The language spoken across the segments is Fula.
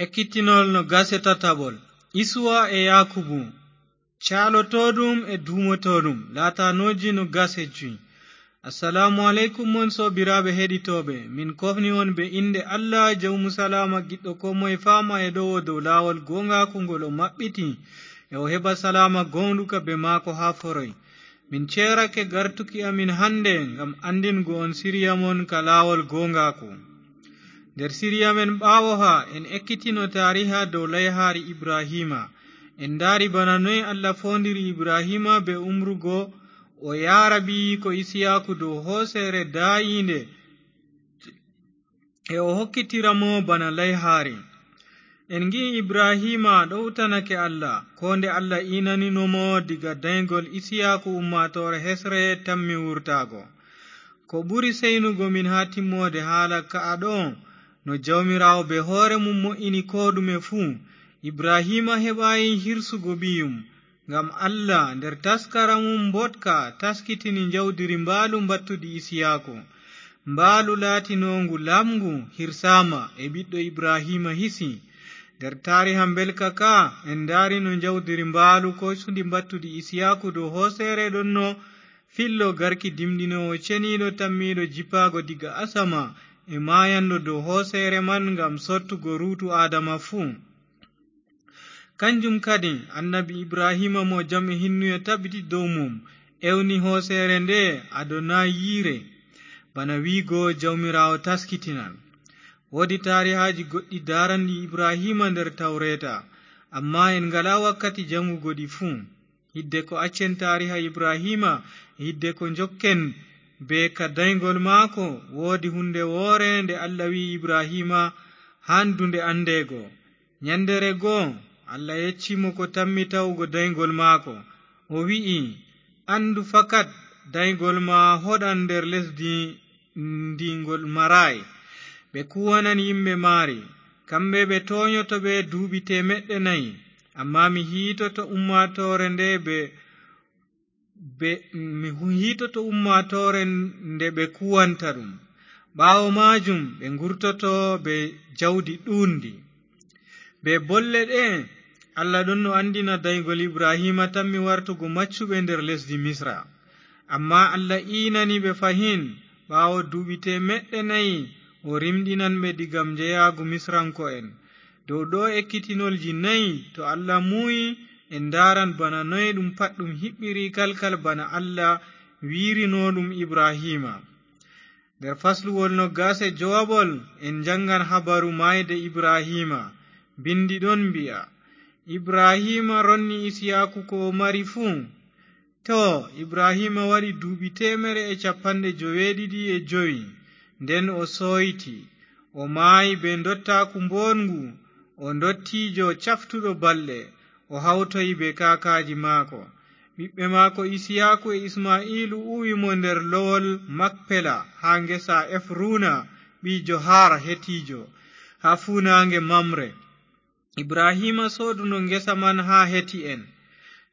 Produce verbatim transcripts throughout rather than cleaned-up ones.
Ekkitinol no gase tataɓol. Isuwa e Yaakubu. Caalotooɗum e duumotooɗum. Laatanooji no gase cuy. Assalaamu aleykum, mon soobiraaɓe heɗitooɓe. Min kofni on be innde Allah, jawmu salaama, giɗɗo koo moye faama e ɗowo dow laawol gooŋgaaku ngol o maɓɓiti, e o heɓa salaama gooŋɗuka be maako haa foroy. Min ceerake gartuki amin hande ngam anndingo on siriya mon ka laawol gooŋgaaku. Nder siriya men ɓaawo haa, en ekkitino taariha dow layhaari Ibrahiima. En ndaari bana noy Allah foondiri Ibrahiima be umrugo o yaara ɓiyiiko Isiyaaku dow hooseere daayiinde, e o hokkitira mo bana layhaari. En ngi'i Ibrahiima ɗowtanake Allah, koo nde Allah iinanino mo diga dayŋgol Isiyaaku ummaatoore hesre tammi wurtaago. Ko ɓuri seynugo min haa timmoode haala ka'a ɗo, no Jawmiraawo be hoore mum mo'ini koo ɗume fuu, Ibrahiima heɓaay hirsugo ɓiyum. Ngam Allah nder taskara mum mboɗka taskitini njawdiri mbaalu mbattudi Isiyaaku. Mbaalu laatinoongu laaɓngu hirsaama e ɓiɗɗo Ibrahiima hisi. Nder taariha mbelka ka, en ndaarino njawdiri mbaalu koysundi mbattudi Isiyaaku dow hooseere ɗonno fillo garki dimɗinoowo ceniiɗo tammiiɗo jippaago diga asama e maayanɗo dow hooseere man ngam sottugo ruutu Aadama fuu. Kanjum kadi, annabi Ibrahiima mo jam e hinnuye tabiti dow mum, ewni hooseere nde Adonayire, bana wi'go Jawmiraawo taskitinan. Woodi taarihaaji goɗɗi daaranɗi Ibrahiima nder Tawreeta, ammaa en ngalaa wakkati jaŋgugo ɗi fuu. Hidde ko accen taariha Ibrahiima, hidde ko njokken be ka dayŋgol maako, woodi huunde woore nde Allah wi'i Ibrahiima haandu nde anndeego. Nyanndeere goo, Allah yecci mo ko tammi tawugo dayŋgol maako. O wi'i, "Anndu fakat, dayŋgol ma hoɗan nder lesdi ndi ngol maraay. Ɓe kuwanan yimɓe maari. Kamɓe ɓe toonyoto ɓe duuɓi teemeɗɗe nayi. Ammaa mi hiitoto ummaatoore nde ɓe, ɓe, mi hu-, hiitoto ummaatoore nde ɓe kuwanta ɗum. Ɓaawo maajum ɓe ngurtoto be jawdi ɗuundi." Be bolle ɗe, Allah ɗonno anndina dayŋgol Ibrahiima tammi wartugo maccuɓe nder lesdi Misra. Ammaa Allah iinani ɓe fahin, ɓaawo duuɓi teemeɗɗe nayi, o rimɗinan ɓe diga njeyaagu Misranko'en. Dow ɗo ekkitinolji nayi, to Allah muuyi, en ndaaran bana noy ɗum pat ɗum hiɓɓiri kalkal bana Allah wi'irino ɗum Ibrahiima. Nder fasluwol noggas e jowaɓol, en njanngan habaru maayde Ibrahiima. Binndi ɗon mbi'a, "Ibrahiima ronni Isiyaaku ko o mari fuu." Too, Ibrahiima waɗi duuɓi teemere e cappanɗe joweeɗiɗi e jowi, nden o sooyti. O maayi bee ndottaaku mbooɗngu, o ndottiijo caftuɗo balɗe, o hawtoyi bee kaakaaji maako. Ɓiɓɓe maako Isiyaaku e Isma'iilu uwi mo nder lowol Makpela haa ngesa Efruuna ɓii Johar Hetiijo, haa fuunaaŋge Mamre. Ibrahiima sooduno ngesa man haa Heti'en.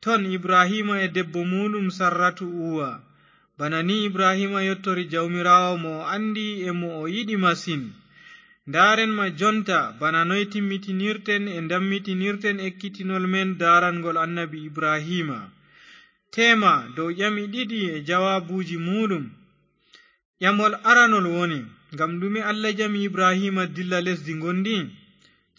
Ton Ibrahiima e debbo muuɗum Sarratu uwa. Bana ni Ibrahiima yottori Jawmiraawo mo o anndi e mo o yiɗi masin. Ndaaren ma jonta bana noy timmitinirten e ndammitinirten ekkitinol men daarangol annabi Ibrahiima. Teema dow ƴami ɗiɗi e jawaabuuji muuɗum. Ƴamol aranol woni, ngam ɗume Allah ƴami Ibrahiima dilla lesdi ngondi?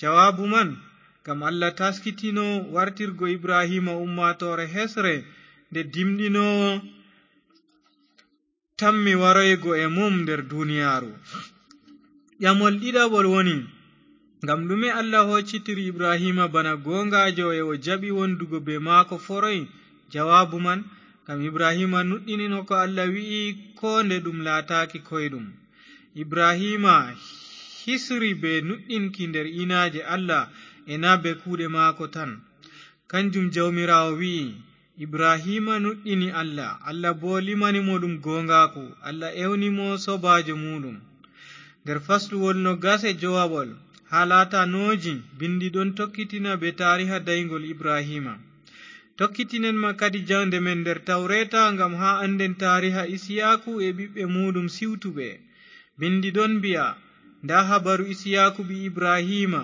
Jawaabu man, ngam Allah taskitino wartirgo Ibrahiima ummaatoore hesre nde dimɗinoowo tammi waroygo e mum nder duniyaaru. Ƴamol ɗiɗaɓol woni, ngam ɗume Allah hoccitiri Ibrahiima bana gooŋgaajo e o jaɓi wondugo bee maako foroy? Jawaabu man, ngam Ibrahiima nuɗɗinino ko Allah wi'i, koo nde ɗum laataaki koyɗum. Ibrahiima hisri bee nuɗɗinki nder inaaje Allah e naa bee kuuɗe maako tan. Kanjum Jawmiraawo wi'i, Ibrahiima nuɗɗini Allah, Allah boo limani mo ɗum gooŋgaaku, Allah ewni mo soobaajo muuɗum. Nder fasluwol noggas e jowaɓol, haa laatanooji, binndi ɗon tokkitina bee taariha dayŋgol Ibrahiima. Tokkitinen ma kadi jaŋde men nder Tawreeta ngam haa annden taariha Isiyaaku e ɓiɓɓe muuɗum siwtuɓe. Binndi ɗon mbi'a, ndaa habaru Isiyaaku ɓii Ibrahiima,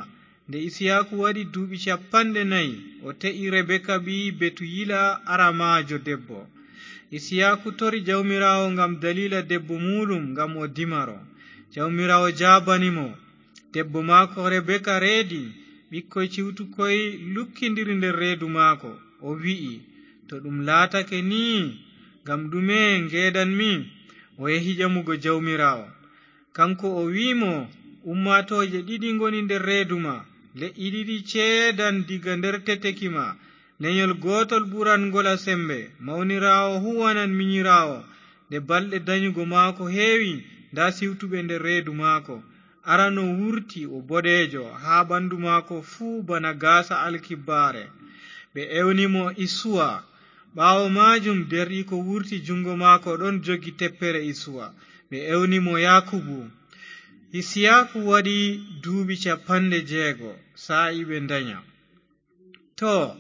Nde Isiyaaku waɗi duuɓi capanɗe nayi, o te'i Rebeka ɓii Betuyila aramaajo debbo. Isiyaaku tori Jawmiraawo ngam daliila debbo muuɗum, ngam o dimaro. Jawmiraawo jaabani mo, debbo maako Rebeka reedi, ɓikkoy ciwtukoy lukkindiri nder reedu maako. O wi'i, to ɗum laatake nii, ngam ɗume ngeedanmi? O yehi ƴamugo Jawmiraawo. Kanko o wi'i mo, ummaatooje ɗiɗi ngoni nder reedu ma, le'i ɗiɗi ceedan diga nder teteki ma, lenyol gootol ɓuran ngola sembe. Mawniraawo huwanan minyiraawo. Nde balɗe danyugo maako heewi, nda siwtuɓe nder reedu maako. Arano wurti o boɗeejo, haa ɓandu maako fuu bana gaasa alkibbaare. Ɓe ewni mo Isuwa. Ɓaawo maajum, derɗiiko wurti, juŋngo maako ɗon jogi teppere Isuwa. Ɓe ewni mo Yaakubu. Isiyaaku waɗi duuɓi capanɗe jeego, saa'i ɓe ndanya. Too,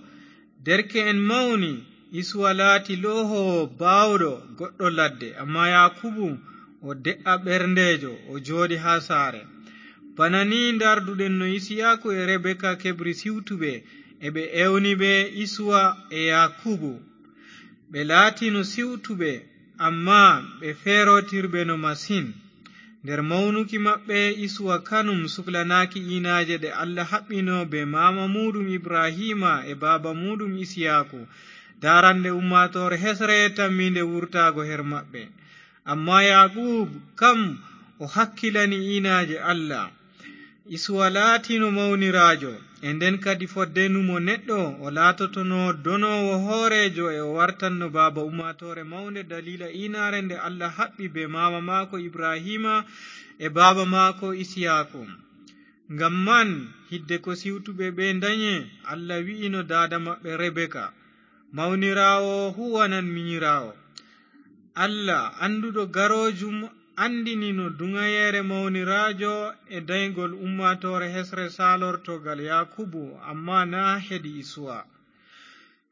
derke'en mawni, Isuwa laati loohoowo baawɗo goɗɗo ladde, ammaa Yaakubu o de'a ɓerndeejo, o jooɗi haa saare. Bana ni ndarduɗen no Isiyaaku e Rebeka keɓri siwtuɓe, e ɓe ewni ɓe Isuwa e Yaakubu. Ɓe laatino siwtuɓe, ammaa ɓe feerootirɓe no masin. Nder mawnuki maɓɓe, Isuwa kanum suklanaaki iinaaje ɗe Allah haɓɓino bee maama muuɗum Ibrahiima e baaba muuɗum Isiyaaku, daarande ummaatoore hesre tammiinde wurtaago her maɓɓe. Ammaa Yaakubu kam, o hakkilani iinaaje Allah. Isuwa laatino mawniraajo, e nden kadi fodde numo neɗɗo, o laatotono donoowo hooreejo, e o wartanno baaba ummaatoore mawnde daliila iinaare nde Allah haɓɓi bee maama maako Ibrahiima e baaba maako Isiyaaku. Ngam man, hidde ko siwtuɓe ɓe ndanye, Allah wi'ino daada maɓɓe Rebeka, mawniraawo huwanan minyiraawo. Allah, annduɗo garoojum, anndinino duŋayeere mawniraajo e dayŋgol ummaatoore hesre saalorto gal Yaakubu, ammaa naa hedi Isuwa.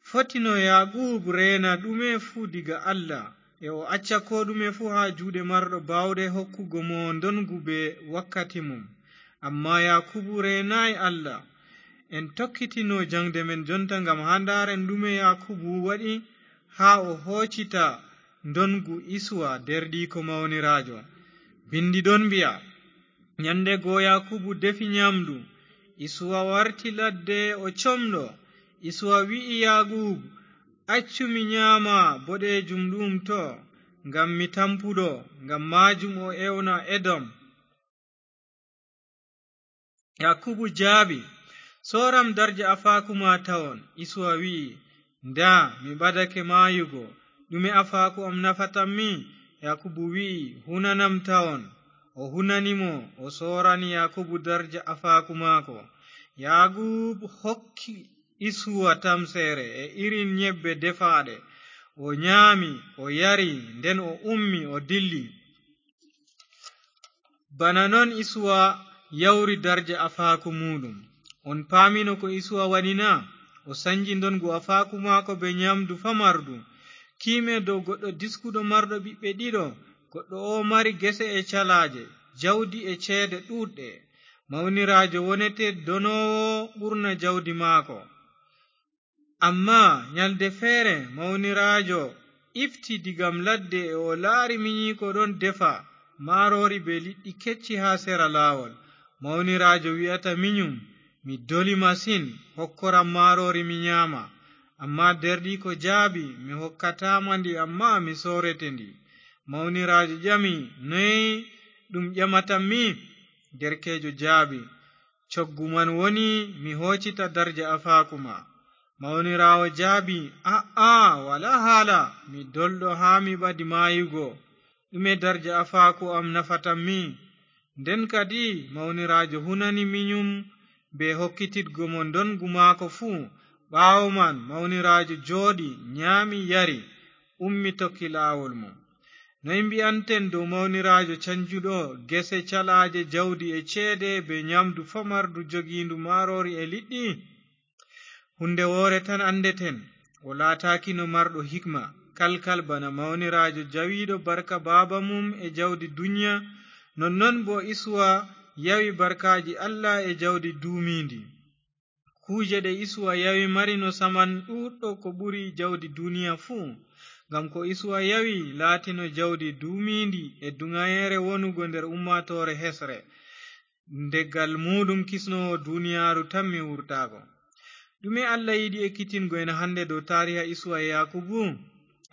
Fotino Yaakubu reena ɗume fuu diga Allah, e o acca koo ɗume fuu haa juuɗe marɗo baawɗe hokkugo mo ndonŋgu bee wakkati mum. Ammaa Yaakubu reenaay Allah. En tokkitino jaŋde men jonta ngam haa ndaaren ɗume Yaakubu waɗi haa o hoocita ndonŋgu Isuwa, deerɗiiko mawniraajo. Binndi ɗon mbi'a, nyande go Yaakubu defi nyaamdu. Isuwa warti ladde o comɗo. Isuwa wi'i Yaakubu, accu mi nyaama boɗeejum ɗum to, ngam mi tampuɗo. Ngam maajum o ewna Edom. Yaakubu jaabi, sooram darja afaaku ma tawon. Isuwa wi'i, ndaa, mi ɓadake maayugo. Ɗume afaaku am nafatammi? Yaakubu wi'i, hunanam tawon. O hunani mo, o soorani Yaakubu darja afaaku maako. Yaakubu hokki Isuwa tamseere e irin nyebbe defaaɗe. O nyaami, o yari, nden o ummi, o dilli. Bana non Isuwa yawri darja afaaku muuɗum. On paamino ko Isuwa waɗi na? O sanji ndonŋgu afaaku maako bee nyaamdu famardu. Kiime dow goɗɗo diskuɗo marɗo ɓiɓɓe ɗiɗo, goɗɗo oo mari gese e calaaje, jawdi e ceede ɗuuɗɗe. Mawniraajo wonete donoowo ɓurna jawdi maako. Ammaa nyalde feere, mawniraajo ifti diga ladde e o laari minyiiko ɗon defa maaroori bee liɗɗi kecci haa sera laawol. Mawniraajo wi'ata minyum, mi doli masin, hokkoram maaroori mi nyaama. Ammaa deerɗiiko jaabi, mi hokkataama ndi, ammaa mi soorete ndi. Mawniraajo ƴami, noy ɗum ƴamatammi? Derkeejo jaabi, coggu man woni mi hoocita darja afaaku ma. Mawniraawo jaabi, a'a, walaa haala, mi dolɗo haa mi ɓadi maayugo. Ɗume darja afaaku am nafatammi? Nden kadi mawniraajo hunani minyum bee hokkititgo mo ndonŋgu maako fuu. Ɓaawo man mawniraajo jooɗi, nyaami, yari, ummi tokki laawol mum. Noy mbi'anten dow mawniraajo canjuɗo gese, calaaje, jawdi e ceede bee nyaamdu famardu jogiindu maaroori e liɗɗi? Huunde woore tan anndeten, o laataakino marɗo hikma, kalkal bana mawniraajo jawiiɗo barka baaba mum e jawdi dunya, nonnon boo Isuwa yawi barkaaji Allah e jawdi duumiindi. Kuuje ɗe Isuwa yawi marino saman ɗuuɗɗo ko ɓuri jawdi duuniya fuu. Ngam ko Isuwa yawi laatino jawdi duumiindi e duŋayeere wonugo nder ummaatoore hesre. Nde gal muuɗum kisnoowo duuniyaaru tammi wurtaago. Ɗume Allah yiɗi ekkitingo en hannde dow taariha Isuwa e Yaakubu?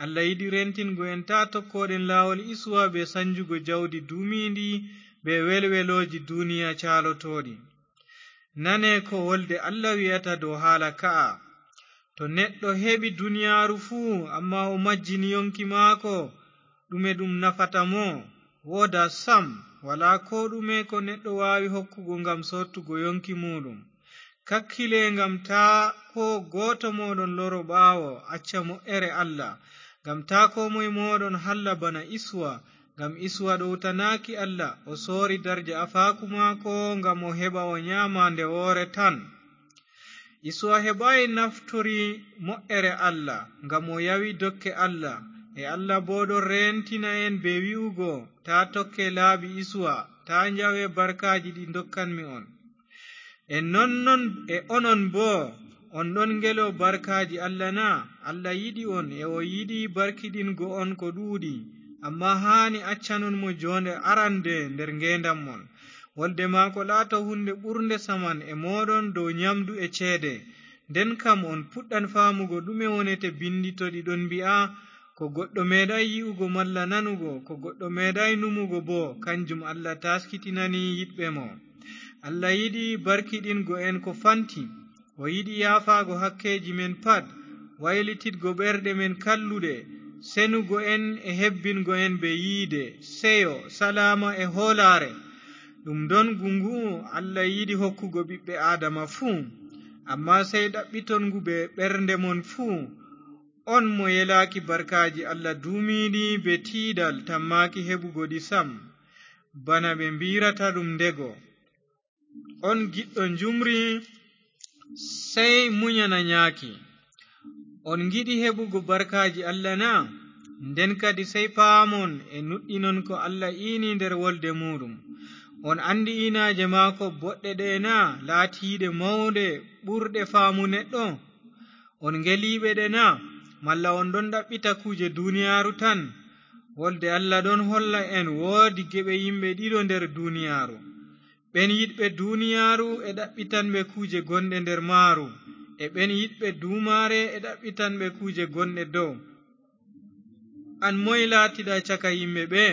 Allah yiɗi rentingo en taa tokkooɗen laawol Isuwa bee sanjugo jawdi duumiindi bee welwelooji duuniya caalotooɗi. Nane ko wolde Allah wi'ata dow haala ka'a. To neɗɗo heɓi duniyaaru fuu, ammaa o majjini yonki maako, ɗume ɗum nafata mo? Woodaa sam, walaa koo ɗume ko neɗɗo waawi hokkugo ngam soottugo yonki muuɗum. Kakkile ngam taa koo gooto mooɗon loro ɓaawo, acca mo'ere Allah. Ngam taa koo moy mooɗon halla bana Isuwa, ngam Isuwa ɗowtanaaki Allah, o soori darja afaaku maako ngam o heɓa o nyaama nde woore tan. Isuwa heɓaay naftori mo'ere Allah, ngam o yawi dokke Allah, e Allah boo ɗon reentina en bee wi'ugo, "Taa tokke laabi Isuwa, taa njawe barkaaji ɗi ndokkanmi on." E non non e onon boo, on ɗon ngelo barkaaji Allah na? Allah yiɗi on, e o yiɗi barkiɗingo on ko ɗuuɗi, ammaa haani accanon mo joonde arande nder ngeendam mon. Wolde maako laato huunde ɓurnde saman e mooɗon dow nyamdu e ceede. Nden kam on puɗɗan faamugo ɗume wonete binndi to ɗi ɗon mbi'a, "Ko goɗɗo meeɗaay yi'ugo malla nanugo, ko goɗɗo meeɗaay numugo boo, kanjum Allah taaskitinani yiɗɓe mo." Allah yiɗi barkiɗingo en ko fanti. O yiɗi yaafaago hakkeeji men pat, waylititgo ɓerɗe men kalluɗe, senugo en e hebbingo en bee yiide, seyo, salaama e hoolaare. Ɗum ndongu ngu'u Allah yiɗi hokkugo ɓiɓɓe Aadama fuu, ammaa sey ɗaɓɓiton ngu bee ɓernde mon fuu. On mo yelaaki barkaaji Allah duumiiɗi bee tiiɗal, tammaaki heɓugo ɗi sam, bana ɓe mbi'rata ɗum ndego. On giɗɗo njumri, sey munyana nyaaki. On ngiɗi heɓugo barkaaji Allah na? Nden kadi sey paamon e nuɗɗinon ko Allah iini nder wolde muuɗum. On anndi iinaaje maako boɗɗe ɗe na, laatiiɗe mawɗe, ɓurɗe faamu neɗɗo? On ngeliiɓe ɗe na? Malla on ɗon ɗaɓɓita kuuje duniyaaru tan? Wolde Allah ɗon holla en woodi geɓe yimɓe ɗiɗo nder duniyaaru. Ɓen yiɗɓe duniyaaru e ɗaɓɓitanɓe kuuje gonɗe nder maaru, e ɓen yiɗɓe duumaare e ɗaɓɓitanɓe kuuje gonɗe dow. An moy laatiɗa caka yimɓe ɓe?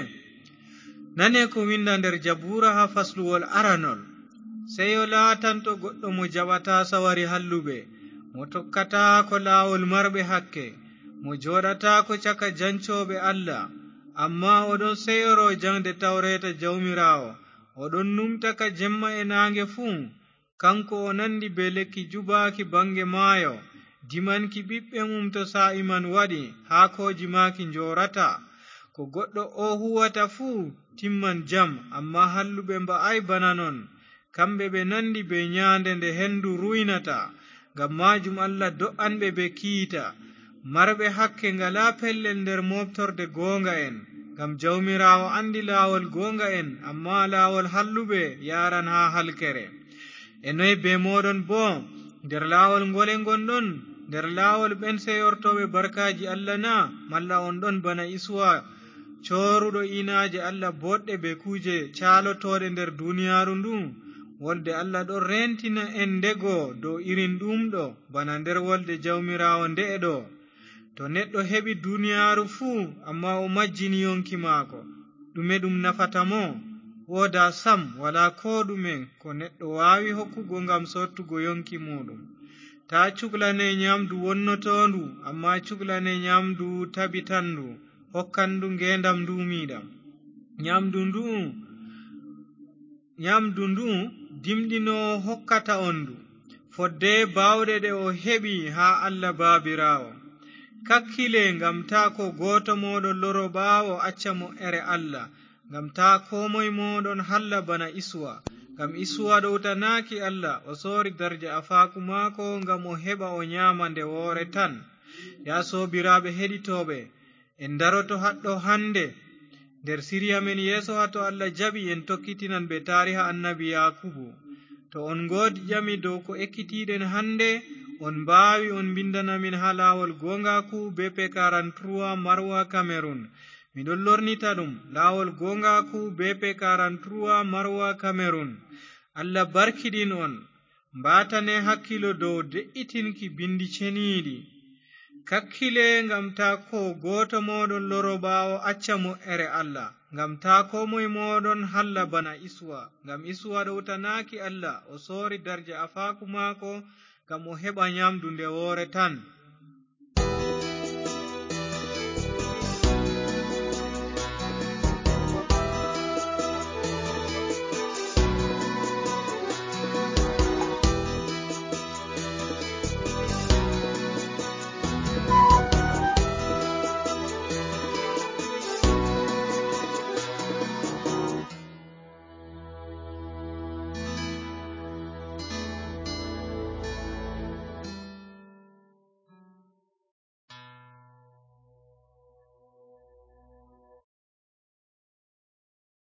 Nane ko winda nder Jabuura haa fasluwol aranol. Seyo laatanto goɗɗo mo jaɓataa sawari halluɓe, mo tokkataako laawol marɓe hakke, mo jooɗataako caka jancooɓe Allah, ammaa o ɗon seyoro jaŋde tawreeta Jawmiraawo, o ɗon numta ka jemma e naange fuu. Kanko o nandi bee lekki jubaaki baŋge maayo, dimanki ɓiɓɓe mum to saa'i man waɗi, haakooji maaki njoorata. Ko goɗɗo o huwata fuu timman jam, ammaa halluɓe mba'aay bana non. Kamɓe ɓe nandi bee nyaande nde hendu ruynata, ngam maajum Allah do'an ɓe bee kiita. Marɓe hakke ngalaa pellel nder mooɓtorde gooŋga'en, ngam Jawmiraawo anndi laawol gooŋga'en, ammaa laawol halluɓe yaaran haa halkere. E noy bee mooɗon boo? Nder laawol ngole ngonɗon? Nder laawol ɓen seyortooɓe barkaaji Allah na? Malla on ɗon bana Isuwa, cooruɗo iinaaje Allah boɗɗe bee kuuje caalotooɗe nder duniyaaru ndu? Wolde Allah ɗon reentina en ndego dow irin ɗum ɗo, bana nder wolde Jawmiraawo nde'e ɗo. To neɗɗo heɓi duniyaaru fuu, ammaa o majjini yonki maako, ɗume ɗum nafata mo? Woodaa sam, walaa koo ɗume ko neɗɗo waawi hokkugo ngam soottugo yonki muuɗum. Taa cuklane nyaamdu wonnotoondu, ammaa cuklane nyaamdu tabitanndu, hokkandu ngeendam nduumiiɗam. Nyaamdu ndu'u, nyaamdu ndu'u dimɗinoowo hokkata on ndu, fodde baawɗe ɗe o heɓi haa Allah Baabiraawo. Kakkile ngam taa ko gooto mooɗon loro ɓaawo acca mo'ere Allah, ngam taa koo moy mooɗon halla bana Isuwa. Ngam Isuwa ɗowtanaaki Allah, o soori darja afaaku maako ngam o heɓa o nyaama nde woore tan. Yaa soobiraaɓe heɗitooɓe, en daroto haɗɗo hannde. Nder siriya men yeeso haa to Allah jaɓi en tokkitinan ɓe taariha annabi Yaakubu. To on ngoodi ƴami dow ko ekkitiiɗen hannde, on mbaawi on mbinndana min haa laawol goongaaku B P quarante-trois Marwa Cameroun. Miɗon lornita ɗum, laawol goongaaku B P quarante-trois Marwa Cameroun. Allah barkiɗin on. Mbaatane hakkilo dow de'itinki binndi ceniiɗi. Kakkile ngam taa koo gooto mooɗon loro ɓaawo acca mo'ere Allah, ngam taa koo moy mooɗon halla bana Isuwa. Ngam Isuwa ɗowtanaaki Allah, o soori darja afaaku maako ngam o heɓa nyaamdu nde woore tan.